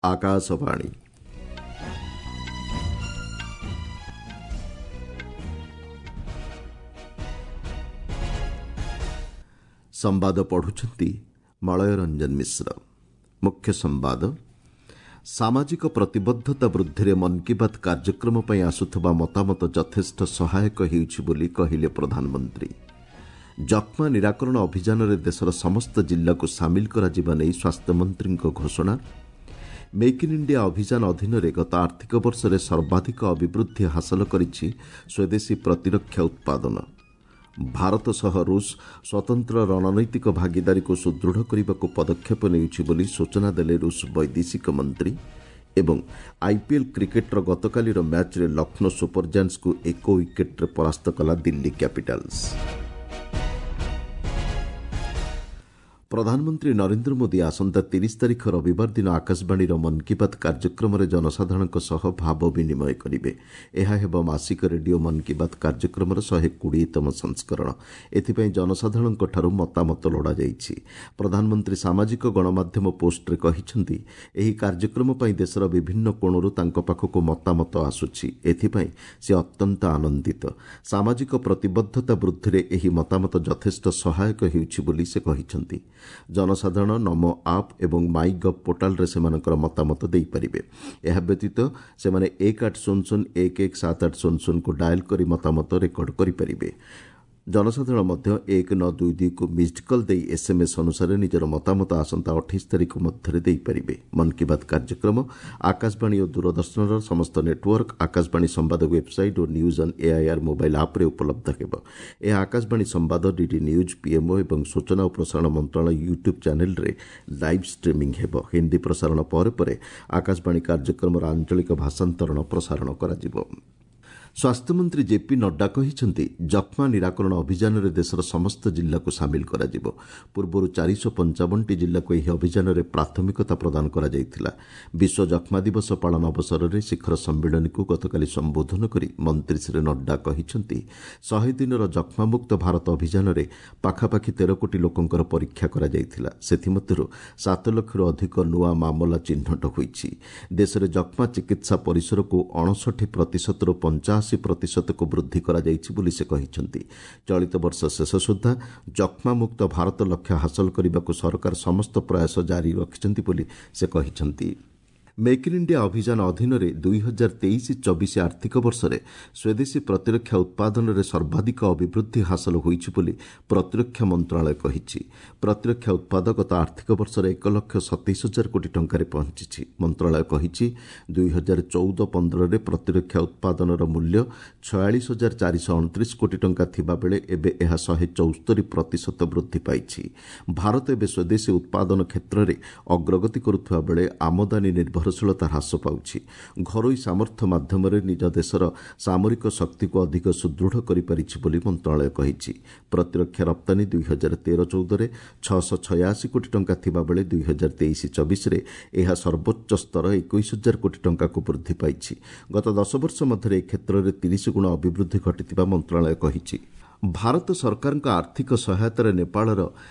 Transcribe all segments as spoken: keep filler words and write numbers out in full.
ଆକାଶବାଣୀ। ସମ୍ବାଦ ପଢୁଛନ୍ତି ମଳୟ ରଞ୍ଜନ ମିଶ୍ର। ମୁଖ୍ୟ ସମ୍ବାଦ। ସାମାଜିକ ପ୍ରତିବଦ୍ଧତା ବୃଦ୍ଧିରେ ମନ୍ କି ବାତ୍ କାର୍ଯ୍ୟକ୍ରମ ପାଇଁ ଆସୁଥିବା ମତାମତ ଯଥେଷ୍ଟ ସହାୟକ ହେଉଛି ବୋଲି କହିଲେ ପ୍ରଧାନମନ୍ତ୍ରୀ। ଯକ୍ଷ୍ମା ନିରାକରଣ ଅଭିଯାନରେ ଦେଶର ସମସ୍ତ ଜିଲ୍ଲାକୁ ସାମିଲ କରାଯିବା ନେଇ ସ୍ୱାସ୍ଥ୍ୟମନ୍ତ୍ରୀଙ୍କ ଘୋଷଣା। ମେକ୍ ଇନ୍ ଇଣ୍ଡିଆ ଅଭିଯାନ ଅଧୀନରେ ଗତ ଆର୍ଥିକ ବର୍ଷରେ ସର୍ବାଧିକ ଅଭିବୃଦ୍ଧି ହାସଲ କରିଛି ସ୍ୱଦେଶୀ ପ୍ରତିରକ୍ଷା ଉତ୍ପାଦନ। ଭାରତ ସହ ରୁଷ ସ୍ୱତନ୍ତ୍ର ରଣନୈତିକ ଭାଗିଦାରୀକୁ ସୁଦୃଢ଼ କରିବାକୁ ପଦକ୍ଷେପ ନେଉଛି ବୋଲି ସୂଚନା ଦେଲେ ରୁଷ ବୈଦେଶିକ ମନ୍ତ୍ରୀ। ଏବଂ ଆଇପିଏଲ୍ କ୍ରିକେଟ୍ର ଗତକାଲିର ମ୍ୟାଚ୍ରେ ଲକ୍ଷ୍ନୌ ସୁପର ଜାଏଣ୍ଟସ୍କୁ ଏକ ୱିକେଟ୍ରେ ପରାସ୍ତ କଲା ଦିଲ୍ଲୀ କ୍ୟାପିଟାଲ୍ସ। ପ୍ରଧାନମନ୍ତ୍ରୀ ନରେନ୍ଦ୍ର ମୋଦି ଆସନ୍ତା ତିରିଶ ତାରିଖ ରବିବାର ଦିନ ଆକାଶବାଣୀର ମନ୍ କି ବାତ୍ କାର୍ଯ୍ୟକ୍ରମରେ ଜନସାଧାରଣଙ୍କ ସହ ଭାବ ବିନିମୟ କରିବେ। ଏହା ହେବ ମାସିକ ରେଡିଓ ମନ୍ କି ବାତ୍ କାର୍ଯ୍ୟକ୍ରମର ଶହେ କୋଡ଼ିଏତମ ସଂସ୍କରଣ। ଏଥିପାଇଁ ଜନସାଧାରଣଙ୍କଠାରୁ ମତାମତ ଲୋଡ଼ାଯାଇଛି। ପ୍ରଧାନମନ୍ତ୍ରୀ ସାମାଜିକ ଗଣମାଧ୍ୟମ ପୋଷ୍ଟରେ କହିଛନ୍ତି, ଏହି କାର୍ଯ୍ୟକ୍ରମ ପାଇଁ ଦେଶର ବିଭିନ୍ନ କୋଣରୁ ତାଙ୍କ ପାଖକୁ ମତାମତ ଆସୁଛି। ଏଥିପାଇଁ ସେ ଅତ୍ୟନ୍ତ ଆନନ୍ଦିତ। ସାମାଜିକ ପ୍ରତିବଦ୍ଧତା ବୃଦ୍ଧିରେ ଏହି ମତାମତ ଯଥେଷ୍ଟ ସହାୟକ ହେଉଛି ବୋଲି ସେ କହିଛନ୍ତି। ଜନସାଧାରଣ ନମୋ ଆପ୍ ଏବଂ ମାଇ ଗଭ୍ ପୋର୍ଟାଲରେ ସେମାନଙ୍କର ମତାମତ ଦେଇପାରିବେ। ଏହା ବ୍ୟତୀତ ସେମାନେ ଏକ ଆଠ ଶୂନ ଶୂନ ଏକ ଏକ ସାତ ଆଠ ଶୂନ ଶୂନକୁ ଡାଏଲ୍ କରି ମତାମତ ରେକର୍ଡ କରିପାରିବେ। ଜନସାଧାରଣ ମଧ୍ୟ ଏକ ନଅ ଦୁଇ ଦୁଇକୁ ମିସ୍ଡ କଲ୍ ଦେଇ ଏସ୍ଏମ୍ଏସ୍ ଅନୁସାରେ ନିଜର ମତାମତ ଆସନ୍ତା ଅଠେଇଶ ତାରିଖ ମଧ୍ୟରେ ଦେଇପାରିବେ। ମନ୍ କି ବାତ୍ କାର୍ଯ୍ୟକ୍ରମ ଆକାଶବାଣୀ ଓ ଦୂରଦର୍ଶନର ସମସ୍ତ ନେଟୱାର୍କ, ଆକାଶବାଣୀ ସମ୍ବାଦ website O news on AIR mobile ଆପ୍ରେ ଉପଲବ୍ଧ ହେବ। ଏହା ଆକାଶବାଣୀ ସମ୍ବାଦ, ଡିଡି ନ୍ୟୁଜ୍, ପିଏମ୍ଓ ଏବଂ ସୂଚନା ଓ ପ୍ରସାରଣ ମନ୍ତ୍ରଣାଳୟ ୟୁଟ୍ୟୁବ୍ ଚ୍ୟାନେଲ୍ରେ ଲାଇଭ୍ ଷ୍ଟ୍ରିମିଂ ହେବ। ହିନ୍ଦୀ ପ୍ରସାରଣ ପରେ ପରେ ଆକାଶବାଣୀ କାର୍ଯ୍ୟକ୍ରମର ଆଞ୍ଚଳିକ ଭାଷାନ୍ତରଣ ପ୍ରସାରଣ କରାଯିବ। ସ୍ୱାସ୍ଥ୍ୟମନ୍ତ୍ରୀ ଜେପି ନଡ୍ଡା କହିଛନ୍ତି, ଯକ୍ଷ୍ମା ନିରାକରଣ ଅଭିଯାନରେ ଦେଶର ସମସ୍ତ ଜିଲ୍ଲାକୁ ସାମିଲ କରାଯିବ। ପୂର୍ବରୁ ଚାରିଶହ ପଞ୍ଚାବନଟି ଜିଲ୍ଲାକୁ ଏହି ଅଭିଯାନରେ ପ୍ରାଥମିକତା ପ୍ରଦାନ କରାଯାଇଥିଲା। ବିଶ୍ୱ ଯକ୍ଷ୍ମା ଦିବସ ପାଳନ ଅବସରରେ ଶିଖର ସମ୍ମିଳନୀକୁ ଗତକାଲି ସମ୍ବୋଧନ କରି ମନ୍ତ୍ରୀ ଶ୍ରୀ ନଡ୍ଡା କହିଛନ୍ତି, ଶହେ ଦିନର ଯକ୍ଷ୍ମାମୁକ୍ତ ଭାରତ ଅଭିଯାନରେ ପାଖାପାଖି ତେର କୋଟି ଲୋକଙ୍କର ପରୀକ୍ଷା କରାଯାଇଥିଲା। ସେଥିମଧ୍ୟରୁ ସାତ ଲକ୍ଷରୁ ଅଧିକ ନୂଆ ମାମଲା ଚିହ୍ନଟ ହୋଇଛି। ଦେଶରେ ଯକ୍ଷ୍ମା ଚିକିତ୍ସା ପରିସରକୁ ଅଣଷଠି ପ୍ରତିଶତରୁ ପଞ୍ଚାଅଶୀ ପ୍ରତିଶତକୁ ବୃଦ୍ଧି କରାଯାଇଛି ବୋଲି ସେ କହିଛନ୍ତି। ଚଳିତ ବର୍ଷ ଶେଷ ସୁଦ୍ଧା ଯକ୍ଷ୍ମାମୁକ୍ତ ଭାରତ ଲକ୍ଷ୍ୟ ହାସଲ କରିବାକୁ ସରକାର ସମସ୍ତ ପ୍ରୟାସ ଜାରି ରଖିଛନ୍ତି ବୋଲି ସେ କହିଛନ୍ତି। ମେକ୍ ଇନ୍ ଇଣ୍ଡିଆ ଅଭିଯାନ ଅଧୀନରେ ଦୁଇ ହଜାର ତେଇଶ ଚବିଶ ଆର୍ଥିକ ବର୍ଷରେ ସ୍ୱଦେଶୀ ପ୍ରତିରକ୍ଷା ଉତ୍ପାଦନରେ ସର୍ବାଧିକ ଅଭିବୃଦ୍ଧି ହାସଲ ହୋଇଛି ବୋଲି ପ୍ରତିରକ୍ଷା ମନ୍ତ୍ରଣାଳୟ କହିଛି। ପ୍ରତିରକ୍ଷା ଉତ୍ପାଦ ଗତ ଆର୍ଥିକ ବର୍ଷରେ ଏକ ଲକ୍ଷ ସତେଇଶ ହଜାର କୋଟି ଟଙ୍କାରେ ପହଞ୍ଚିଛି। ମନ୍ତ୍ରଣାଳୟ କହିଛି, ଦୁଇ ହଜାର ଚଉଦ ପନ୍ଦରରେ ପ୍ରତିରକ୍ଷା ଉତ୍ପାଦନର ମୂଲ୍ୟ ଛୟାଳିଶ ହଜାର ଚାରିଶହ ଅଣତିରିଶ କୋଟି ଟଙ୍କା ଥିବାବେଳେ ଏବେ ଏହା ଶହେ ଚଉସ୍ତରୀ ପ୍ରତିଶତ ବୃଦ୍ଧି ପାଇଛି। ଭାରତ ଏବେ ସ୍ୱଦେଶୀ ଉତ୍ପାଦନ କ୍ଷେତ୍ରରେ ଅଗ୍ରଗତି କରୁଥିବା ବେଳେ ଆମଦାନୀ ନିର୍ଭର ନିର୍ଭରଶୀଳତା ହ୍ରାସ ପାଉଛି। ଘରୋଇ ସାମର୍ଥ୍ୟ ମାଧ୍ୟମରେ ନିଜ ଦେଶର ସାମରିକ ଶକ୍ତିକୁ ଅଧିକ ସୁଦୃଢ଼ କରିପାରିଛି ବୋଲି ମନ୍ତ୍ରଣାଳୟ କହିଛି। ପ୍ରତିରକ୍ଷା ରପ୍ତାନୀ ଦୁଇ ହଜାର ତେର ଚଉଦରେ ଛଅଶହ ଛୟାଅଶୀ କୋଟି ଟଙ୍କା ଥିବାବେଳେ ଦୁଇ ହଜାର ତେଇଶ ଚବିଶରେ ଏହା ସର୍ବୋଚ୍ଚ ସ୍ତର ଏକୋଇଶ ହଜାର କୋଟି ଟଙ୍କାକୁ ବୃଦ୍ଧି ପାଇଛି। ଗତ ଦଶ ବର୍ଷ ମଧ୍ୟରେ ଏ କ୍ଷେତ୍ରରେ ତିରିଶ ଗୁଣ ଅଭିବୃଦ୍ଧି ଘଟିଥିବା ମନ୍ତ୍ରଣାଳୟ କହିଛି। ଭାରତ ସରକାରଙ୍କ ଆର୍ଥିକ ସହାୟତାରେ ନେପାଳର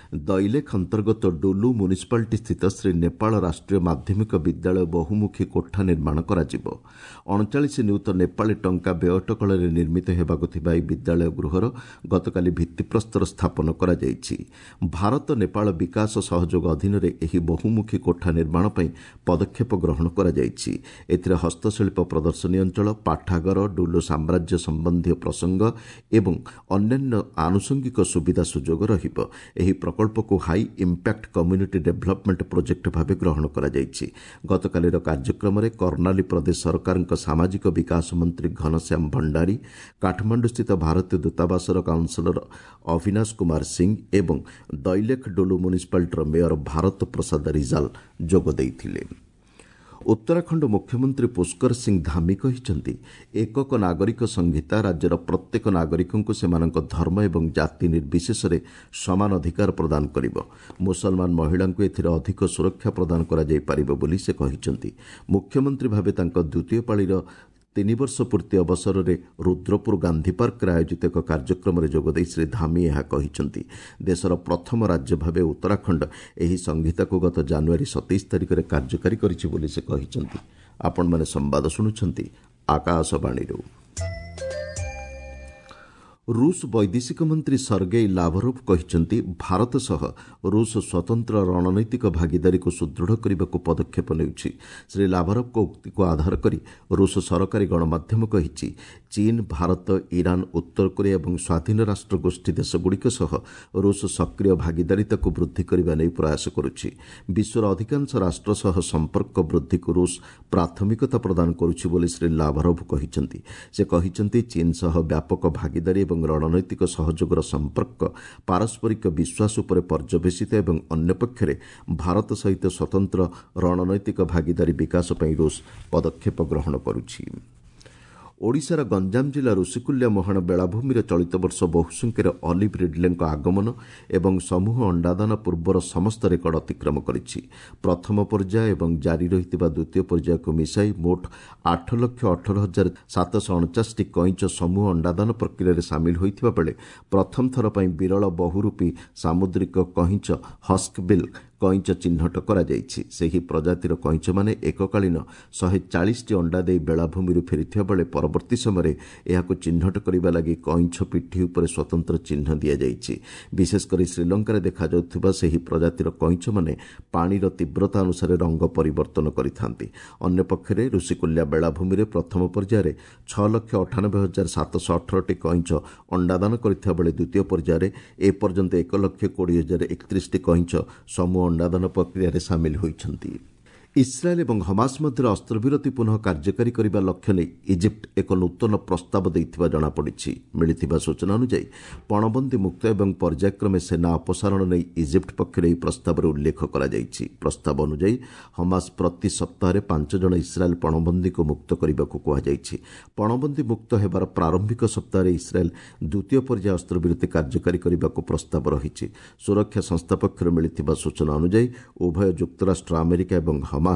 ଦଇଲେଖ ଅନ୍ତର୍ଗତ ଡୁଲୁ ମ୍ୟୁନିସିପାଲିଟି ସ୍ଥିତ ଶ୍ରୀ ନେପାଳ ରାଷ୍ଟ୍ରୀୟ ମାଧ୍ୟମିକ ବିଦ୍ୟାଳୟ ବହୁମୁଖୀ କୋଠା ନିର୍ମାଣ କରାଯିବ। ଅଣଚାଳିଶ ନିୟୁତ ନେପାଳୀ ଟଙ୍କା ବ୍ୟୟଅଟକଳରେ ନିର୍ମିତ ହେବାକୁ ଥିବା ଏହି ବିଦ୍ୟାଳୟ ଗୃହର ଗତକାଲି ଭିତ୍ତିପ୍ରସ୍ତର ସ୍ଥାପନ କରାଯାଇଛି। ଭାରତ ନେପାଳ ବିକାଶ ସହଯୋଗ ଅଧୀନରେ ଏହି ବହୁମୁଖୀ କୋଠା ନିର୍ମାଣ ପାଇଁ ପଦକ୍ଷେପ ଗ୍ରହଣ କରାଯାଇଛି। ଏଥିରେ ହସ୍ତଶିଳ୍ପ ପ୍ରଦର୍ଶନୀ ଅଞ୍ଚଳ, ପାଠାଗାର, ଡୁଲୁ ସାମ୍ରାଜ୍ୟ ସମ୍ବନ୍ଧୀୟ ପ୍ରସଙ୍ଗ ଏବଂ ଅନ୍ୟାନ୍ୟ ଆନୁଷଙ୍ଗିକ ସୁବିଧା ସୁଯୋଗ ରହିବ। ଏହି ପ୍ରକଳ୍ପକୁ high impact community development project ଭାବେ ଗ୍ରହଣ କରାଯାଇଛି। ଗତକାଲିର କାର୍ଯ୍ୟକ୍ରମରେ କର୍ଣ୍ଣାଲୀ ପ୍ରଦେଶ ସରକାରଙ୍କ ସାମାଜିକ ବିକାଶ ମନ୍ତ୍ରୀ ଘନଶ୍ୟାମ ଭଣ୍ଡାରୀ, କାଠମାଣ୍ଡୁସ୍ଥିତ ଭାରତୀୟ ଦୂତାବାସର କାଉନ୍ସିଲର ଅବିନାଶ କୁମାର ସିଂ ଏବଂ ଦଇଲେଖ ଡୁଲୁ ମ୍ୟୁନିସିପାଲିଟିର ମେୟର ଭାରତ ପ୍ରସାଦ ରିଜାଲ ଯୋଗ ଦେଇଥିଲେ। ଉତ୍ତରାଖଣ୍ଡ ମୁଖ୍ୟମନ୍ତ୍ରୀ ପୁଷ୍କର ସିଂ ଧାମି କହିଛନ୍ତି, ଏକକ ନାଗରିକ ସଂହିତା ରାଜ୍ୟର ପ୍ରତ୍ୟେକ ନାଗରିକଙ୍କୁ ସେମାନଙ୍କ ଧର୍ମ ଏବଂ ଜାତି ନିର୍ବିଶେଷରେ ସମାନ ଅଧିକାର ପ୍ରଦାନ କରିବ। ମୁସଲମାନ ମହିଳାଙ୍କୁ ଏଥିରେ ଅଧିକ ସୁରକ୍ଷା ପ୍ରଦାନ କରାଯାଇପାରିବ ବୋଲି ସେ କହିଛନ୍ତି। ମୁଖ୍ୟମନ୍ତ୍ରୀ ଭାବେ ତାଙ୍କ ଦ୍ୱିତୀୟ ପାଳିର ତିନି ବର୍ଷ ପୂର୍ତ୍ତି ଅବସରରେ ରୁଦ୍ରପୁର ଗାନ୍ଧୀ ପାର୍କରେ ଆୟୋଜିତ ଏକ କାର୍ଯ୍ୟକ୍ରମରେ ଯୋଗଦେଇ ଶ୍ରୀ ଧାମି ଏହା କହିଛନ୍ତି। ଦେଶର ପ୍ରଥମ ରାଜ୍ୟ ଭାବେ ଉତ୍ତରାଖଣ୍ଡ ଏହି ସଂହିତାକୁ ଗତ ଜାନୁଆରୀ ସତେଇଶ ତାରିଖରେ କାର୍ଯ୍ୟକାରୀ କରିଛି ବୋଲି ସେ କହିଛନ୍ତି। ଆପଣମାନେ ସମ୍ବାଦ ଶୁଣୁଛନ୍ତି ଆକାଶବାଣୀରୁ। ରୁଷ ବୈଦେଶିକ ମନ୍ତ୍ରୀ ସର୍ଗେଇ ଲାଭରୋଭ୍ କହିଛନ୍ତି, ଭାରତ ସହ ରୁଷ ସ୍ୱତନ୍ତ୍ର ରଣନୈତିକ ଭାଗିଦାରୀକୁ ସୁଦୃଢ଼ କରିବାକୁ ପଦକ୍ଷେପ ନେଉଛି। ଶ୍ରୀ ଲାଭରୋଭ୍ଙ୍କ ଉକ୍ତିକୁ ଆଧାର କରି ରୁଷ ସରକାରୀ ଗଣମାଧ୍ୟମ କହିଛି, ଚୀନ, ଭାରତ, ଇରାନ, ଉତ୍ତର କୋରିଆ ଏବଂ ସ୍ୱାଧୀନ ରାଷ୍ଟ୍ର ଗୋଷ୍ଠୀ ଦେଶଗୁଡ଼ିକ ସହ ରୁଷ ସକ୍ରିୟ ଭାଗିଦାରିତାକୁ ବୃଦ୍ଧି କରିବା ନେଇ ପ୍ରୟାସ କରୁଛି। ବିଶ୍ୱର ଅଧିକାଂଶ ରାଷ୍ଟ୍ର ସହ ସମ୍ପର୍କ ବୃଦ୍ଧିକୁ ରୁଷ ପ୍ରାଥମିକତା ପ୍ରଦାନ କରୁଛି ବୋଲି ଶ୍ରୀ ଲାଭରୋଭ୍ କହିଛନ୍ତି। ସେ କହିଛନ୍ତି, ଚୀନ ସହ ବ୍ୟାପକ ଭାଗିଦାରୀ ଏବଂ ରଣନୈତିକ ସହଯୋଗର ସମ୍ପର୍କ ପାରସ୍ପରିକ ବିଶ୍ୱାସ ଉପରେ ପର୍ଯ୍ୟବେସିତ ଏବଂ ଅନ୍ୟପକ୍ଷରେ ଭାରତ ସହିତ ସ୍ୱତନ୍ତ୍ର ରଣନୈତିକ ଭାଗିଦାରୀ ବିକାଶ ପାଇଁ ରୁଷ ପଦକ୍ଷେପ ଗ୍ରହଣ କରୁଛି। ଓଡ଼ିଶାର ଗଞ୍ଜାମ ଜିଲ୍ଲା ଋଷିକୁଲ୍ୟା ମୁହାଣ ବେଳାଭୂମିରେ ଚଳିତ ବର୍ଷ ବହୁ ସଂଖ୍ୟାରେ ଅଲିଭ୍ ରିଡ୍ଲେଙ୍କ ଆଗମନ ଏବଂ ସମୂହ ଅଣ୍ଡାଦାନ ପୂର୍ବର ସମସ୍ତ ରେକର୍ଡ ଅତିକ୍ରମ କରିଛି। ପ୍ରଥମ ପର୍ଯ୍ୟାୟ ଏବଂ ଜାରି ରହିଥିବା ଦ୍ୱିତୀୟ ପର୍ଯ୍ୟାୟକୁ ମିଶାଇ ମୋଟ ଆଠ ଲକ୍ଷ ଅଠର ହଜାର ସାତଶହ ଅଣଚାଶଟି କଇଁଚ ସମୂହ ଅଣ୍ଡାଦାନ ପ୍ରକ୍ରିୟାରେ ସାମିଲ ହୋଇଥିବା ବେଳେ ପ୍ରଥମ ଥର ପାଇଁ ବିରଳ ବହୁରୂପୀ ସାମୁଦ୍ରିକ କଇଁଚ ହସ୍କବିଲ୍ କଇଁଚ ଚିହ୍ନଟ କରାଯାଇଛି। ସେହି ପ୍ରଜାତିର କଇଁଚମାନେ ଏକକାଳୀନ ଶହେ ଚାଳିଶଟି ଅଣ୍ଡା ଦେଇ ବେଳାଭୂମିରୁ ଫେରିଥିବା ବେଳେ ପରବର୍ତ୍ତୀ ସମୟରେ ଏହାକୁ ଚିହ୍ନଟ କରିବା ଲାଗି କଇଁଛ ପିଠି ଉପରେ ସ୍ୱତନ୍ତ୍ର ଚିହ୍ନ ଦିଆଯାଇଛି। ବିଶେଷକରି ଶ୍ରୀଲଙ୍କାରେ ଦେଖାଯାଉଥିବା ସେହି ପ୍ରଜାତିର କଇଁଚମାନେ ପାଣିର ତୀବ୍ରତା ଅନୁସାରେ ରଙ୍ଗ ପରିବର୍ତ୍ତନ କରିଥାନ୍ତି। ଅନ୍ୟପକ୍ଷରେ ଋଷିକୁଲ୍ୟା ବେଳାଭୂମିରେ ପ୍ରଥମ ପର୍ଯ୍ୟାୟରେ ଛଅ ଲକ୍ଷ ଅଠାନବେ ହଜାର ସାତଶହ ଅଠରଟି କଇଁଚ ଅଣ୍ଡାଦାନ କରିଥିବା ବେଳେ ଦ୍ୱିତୀୟ ପର୍ଯ୍ୟାୟରେ ଏପର୍ଯ୍ୟନ୍ତ ଏକ ଲକ୍ଷ କୋଡ଼ିଏ ହଜାର ଏକତିରିଶଟି କଇଁଚ ସମୂହ ଅଣ୍ଡାଦାନ ପ୍ରକ୍ରିୟାରେ ସାମିଲ ହୋଇଛନ୍ତି। ଇସ୍ରାଏଲ୍ ଏବଂ ହମାସ ମଧ୍ୟରେ ଅସ୍ତ୍ରବିରତି ପୁନଃ କାର୍ଯ୍ୟକାରୀ କରିବା ଲକ୍ଷ୍ୟ ନେଇ ଇଜିପ୍ଟ ଏକ ନୂତନ ପ୍ରସ୍ତାବ ଦେଇଥିବା ଜଣାପଡ଼ିଛି। ମିଳିଥିବା ସୂଚନା ଅନୁଯାୟୀ ପଣବନ୍ଦୀ ମୁକ୍ତ ଏବଂ ପର୍ଯ୍ୟାୟକ୍ରମେ ସେନା ଅପସାରଣ ନେଇ ଇଜିପ୍ଟ ପକ୍ଷରୁ ଏହି ପ୍ରସ୍ତାବରେ ଉଲ୍ଲେଖ କରାଯାଇଛି। ପ୍ରସ୍ତାବ ଅନୁଯାୟୀ ହମାସ ପ୍ରତି ସପ୍ତାହରେ ପାଞ୍ଚ ଜଣ ଇସ୍ରାଏଲ୍ ପଣବନ୍ଦୀଙ୍କୁ ମୁକ୍ତ କରିବାକୁ କୁହାଯାଇଛି। ପଣବନ୍ଦୀ ମୁକ୍ତ ହେବାର ପ୍ରାରମ୍ଭିକ ସପ୍ତାହରେ ଇସ୍ରାଏଲ୍ ଦ୍ୱିତୀୟ ପର୍ଯ୍ୟାୟ ଅସ୍ତ୍ରବିରତି କାର୍ଯ୍ୟକାରୀ କରିବାକୁ ପ୍ରସ୍ତାବ ରହିଛି। ସୁରକ୍ଷା ସଂସ୍ଥା ପକ୍ଷରୁ ମିଳିଥିବା ସୂଚନା ଅନୁଯାୟୀ ଉଭୟ ଯୁକ୍ତରାଷ୍ଟ୍ର ଆମେରିକା ଏବଂ ହମାସ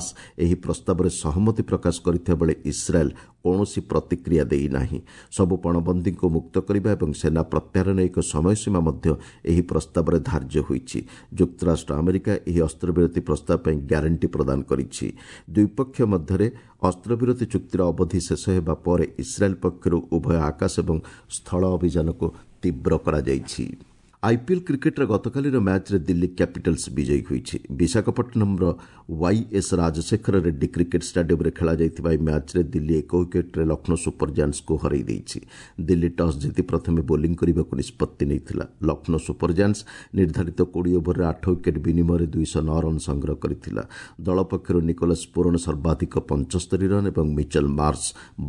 ଏହି ପ୍ରସ୍ତାବରେ ସହମତି ପ୍ରକାଶ କରିଥିବା ବେଳେ ଇସ୍ରାଏଲ୍ କୌଣସି ପ୍ରତିକ୍ରିୟା ଦେଇନାହିଁ। ସବୁ ପଣବନ୍ଦୀଙ୍କୁ ମୁକ୍ତ କରିବା ଏବଂ ସେନା ପ୍ରତ୍ୟାହାର ନେଇ ଏକ ସମୟସୀମା ମଧ୍ୟ ଏହି ପ୍ରସ୍ତାବରେ ଧାର୍ଯ୍ୟ ହୋଇଛି। ଯୁକ୍ତରାଷ୍ଟ୍ର ଆମେରିକା ଏହି ଅସ୍ତ୍ରବିରତି ପ୍ରସ୍ତାବ ପାଇଁ ଗ୍ୟାରେଣ୍ଟି ପ୍ରଦାନ କରିଛି। ଦ୍ୱିପକ୍ଷ ମଧ୍ୟରେ ଅସ୍ତ୍ରବିରତି ଚୁକ୍ତିର ଅବଧି ଶେଷ ହେବା ପରେ ଇସ୍ରାଏଲ୍ ପକ୍ଷରୁ ଉଭୟ ଆକାଶ ଏବଂ ସ୍ଥଳ ଅଭିଯାନକୁ ତୀବ୍ର କରାଯାଇଛି। ଆଇପିଏଲ୍ କ୍ରିକେଟ୍ର ଗତକାଲିର ମ୍ୟାଚ୍ରେ ଦିଲ୍ଲୀ କ୍ୟାପିଟାଲ୍ସ ବିଜୟୀ ହୋଇଛି। ବିଶାଖାପଟ୍ଟନମର ୱାଇଏସ୍ ରାଜଶେଖର ରେଡ୍ଡି କ୍ରିକେଟ୍ ଷ୍ଟାଡିୟମରେ ଖେଳାଯାଇଥିବା ଏହି ମ୍ୟାଚ୍ରେ ଦିଲ୍ଲୀ ଏକ ୱିକେଟ୍ରେ ଲକ୍ଷ୍ନୌ ସୁପର ଜାୟାଣ୍ଟସ୍କୁ ହରାଇ ଦେଇଛି। ଦିଲ୍ଲୀ ଟସ୍ ଜିତି ପ୍ରଥମେ ବୋଲିଂ କରିବାକୁ ନିଷ୍ପତ୍ତି ନେଇଥିଲା। ଲକ୍ଷ୍ନୌ ସୁପର ଜାୟାଣ୍ଟସ୍ ନିର୍ଦ୍ଧାରିତ କୋଡ଼ିଏ ଓଭରରେ ଆଠ ୱିକେଟ୍ ବିନିମୟରେ ଦୁଇଶହ ନଅ ରନ୍ ସଂଗ୍ରହ କରିଥିଲା। ଦଳ ପକ୍ଷରୁ ନିକୋଲସ୍ ପୁରନ ସର୍ବାଧିକ ପଞ୍ଚସ୍ତରୀ ରନ୍ ଏବଂ ମିଚେଲ୍ ମାର୍ସ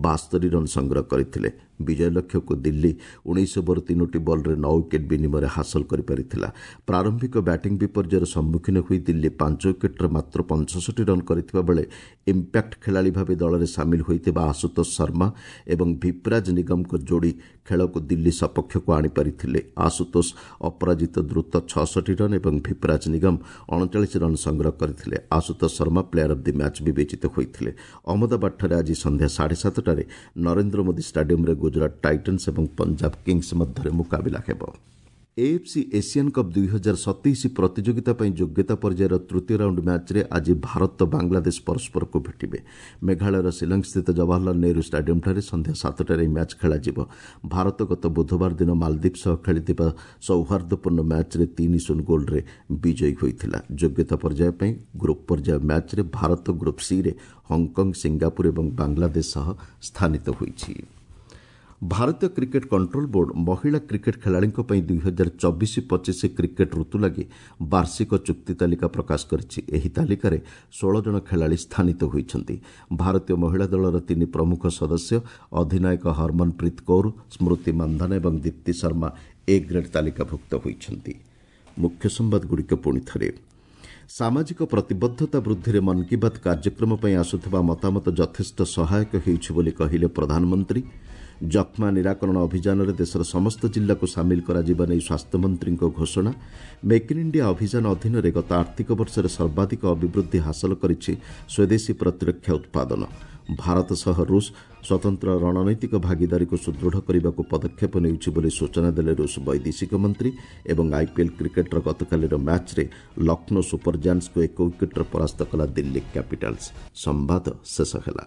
ବାସ୍ତରୀ ରନ୍ ସଂଗ୍ରହ କରିଥିଲେ। ବିଜୟ ଲକ୍ଷ୍ୟକୁ ଦିଲ୍ଲୀ ଉଣେଇଶ ଓଭର ତିନୋଟି ବଲ୍ରେ ନଅ ୱିକେଟ୍ ବିନିମୟରେ ହାସଲ କରିପାରିଥିଲା। ପ୍ରାରମ୍ଭିକ ବ୍ୟାଟିଂ ବିପର୍ଯ୍ୟୟର ସମ୍ମୁଖୀନ ହୋଇ ଦିଲ୍ଲୀ ପାଞ୍ଚ ୱିକେଟ୍ରେ ମାତ୍ର ପଞ୍ଚଷଠି ରନ୍ କରିଥିବା ବେଳେ ଇମ୍ପାକ୍ଟ ଖେଳାଳି ଭାବେ ଦଳରେ ସାମିଲ ହୋଇଥିବା ଆଶୁତୋଷ ଶର୍ମା ଏବଂ ଭିପରାଜ ନିଗମଙ୍କ ଯୋଡ଼ି ଖେଳକୁ ଦିଲ୍ଲୀ ସପକ୍ଷକୁ ଆଣିପାରିଥିଲେ। ଆଶୁତୋଷ ଅପରାଜିତ ଦ୍ରୁତ ଛଅଷଠି ରନ୍ ଏବଂ ଭିପରାଜ ନିଗମ ଅଣଚାଳିଶ ରନ୍ ସଂଗ୍ରହ କରିଥିଲେ। Ashutosh Sharma player of the match ବିବେଚିତ ହୋଇଥିଲେ। ଅହମ୍ମଦାବାଦଠାରେ ଆଜି ସନ୍ଧ୍ୟା ସାଢ଼େ ସାତଟାରେ ନରେନ୍ଦ୍ର ମୋଦି ଷ୍ଟାଡିୟମରେ ଗୁଜରାଟ ଟାଇଟନ୍ସ ଏବଂ ପଞ୍ଜାବ କିଙ୍ଗସ୍ ମଧ୍ୟରେ ମୁକାବିଲା ହେବ। ଏଏଫ୍ସି ଏସିଆନ୍ କପ୍ ଦୁଇ ହଜାର ସତେଇଶ ପ୍ରତିଯୋଗିତା ପାଇଁ ଯୋଗ୍ୟତା ପର୍ଯ୍ୟାୟର ତୃତୀୟ ରାଉଣ୍ଡ ମ୍ୟାଚ୍ରେ ଆଜି ଭାରତ ବାଂଲାଦେଶ ପରସ୍ପରକୁ ଭେଟିବେ। ମେଘାଳୟର ଶିଲଂସ୍ଥିତ ଜବାହରଲାଲ ନେହେରୁ ଷ୍ଟାଡିୟମଠାରେ ସନ୍ଧ୍ୟା ସାତଟାରେ ଏହି ମ୍ୟାଚ୍ ଖେଳାଯିବ। ଭାରତ ଗତ ବୁଧବାର ଦିନ ମାଲଦ୍ୱୀପ ସହ ଖେଳିଥିବା ସୌହାର୍ଦ୍ଦ୍ୟପୂର୍ଣ୍ଣ ମ୍ୟାଚ୍ରେ ତିନି ଶୂନ ଗୋଲ୍ରେ ବିଜୟୀ ହୋଇଥିଲା। ଯୋଗ୍ୟତା ପର୍ଯ୍ୟାୟ ପାଇଁ ଗ୍ରୁପ୍ ପର୍ଯ୍ୟାୟ ମ୍ୟାଚ୍ରେ ଭାରତ ଗ୍ରୁପ୍ ସିରେ ହଂକଂ, ସିଙ୍ଗାପୁର ଏବଂ ବାଂଲାଦେଶ ସହ ସ୍ଥାନିତ ହୋଇଛି। ଭାରତୀୟ କ୍ରିକେଟ୍ କଣ୍ଟ୍ରୋଲ ବୋର୍ଡ ମହିଳା କ୍ରିକେଟ୍ ଖେଳାଳିଙ୍କ ପାଇଁ ଦୁଇ ହଜାର ଚବିଶ ପଚିଶ କ୍ରିକେଟ୍ ଋତୁ ଲାଗି ବାର୍ଷିକ ଚୁକ୍ତି ତାଲିକା ପ୍ରକାଶ କରିଛି। ଏହି ତାଲିକାରେ ଷୋହଳ ଜଣ ଖେଳାଳି ସ୍ଥାନିତ ହୋଇଛନ୍ତି। ଭାରତୀୟ ମହିଳା ଦଳର ତିନି ପ୍ରମୁଖ ସଦସ୍ୟ ଅଧିନାୟକ ହରମନପ୍ରୀତ କୌର, ସ୍ମୃତି ମାନ୍ଧାନା ଏବଂ ଦୀପ୍ତି ଶର୍ମା ଏ ଗ୍ରେଡ୍ ତାଲିକାଭୁକ୍ତ ହୋଇଛନ୍ତି। ମୁଖ୍ୟ ସମ୍ବାଦଗୁଡ଼ିକ ପୁଣି ଥରେ। ସାମାଜିକ ପ୍ରତିବଦ୍ଧତା ବୃଦ୍ଧିରେ ମନ୍ କି ବାତ୍ କାର୍ଯ୍ୟକ୍ରମ ପାଇଁ ଆସୁଥିବା ମତାମତ ଯଥେଷ୍ଟ ସହାୟକ ହେଉଛି ବୋଲି କହିଲେ ପ୍ରଧାନମନ୍ତ୍ରୀ। ଯକ୍ଷ୍ମା ନିରାକରଣ ଅଭିଯାନରେ ଦେଶର ସମସ୍ତ ଜିଲ୍ଲାକୁ ସାମିଲ କରାଯିବା ନେଇ ସ୍ୱାସ୍ଥ୍ୟମନ୍ତ୍ରୀଙ୍କ ଘୋଷଣା। ମେକ୍ ଇନ୍ ଇଣ୍ଡିଆ ଅଭିଯାନ ଅଧୀନରେ ଗତ ଆର୍ଥିକ ବର୍ଷରେ ସର୍ବାଧିକ ଅଭିବୃଦ୍ଧି ହାସଲ କରିଛି ସ୍ୱଦେଶୀ ପ୍ରତିରକ୍ଷା ଉତ୍ପାଦନ। ଭାରତ ସହ ରୁଷ ସ୍ୱତନ୍ତ୍ର ରଣନୈତିକ ଭାଗିଦାରୀକୁ ସୁଦୃଢ଼ କରିବାକୁ ପଦକ୍ଷେପ ନେଉଛି ବୋଲି ସୂଚନା ଦେଲେ ରୁଷ ବୈଦେଶିକ ମନ୍ତ୍ରୀ। ଏବଂ ଆଇପିଏଲ୍ କ୍ରିକେଟ୍ର ଗତକାଲିର ମ୍ୟାଚ୍ରେ ଲକ୍ଷ୍ନୌ ସୁପର ଜାୟାଣ୍ଟସ୍କୁ ଏକ ୱିକେଟ୍ରେ ପରାସ୍ତ କଲା ଦିଲ୍ଲୀ କ୍ୟାପିଟାଲ୍ସ। ସମ୍ବାଦ ଶେଷ ହେଲା।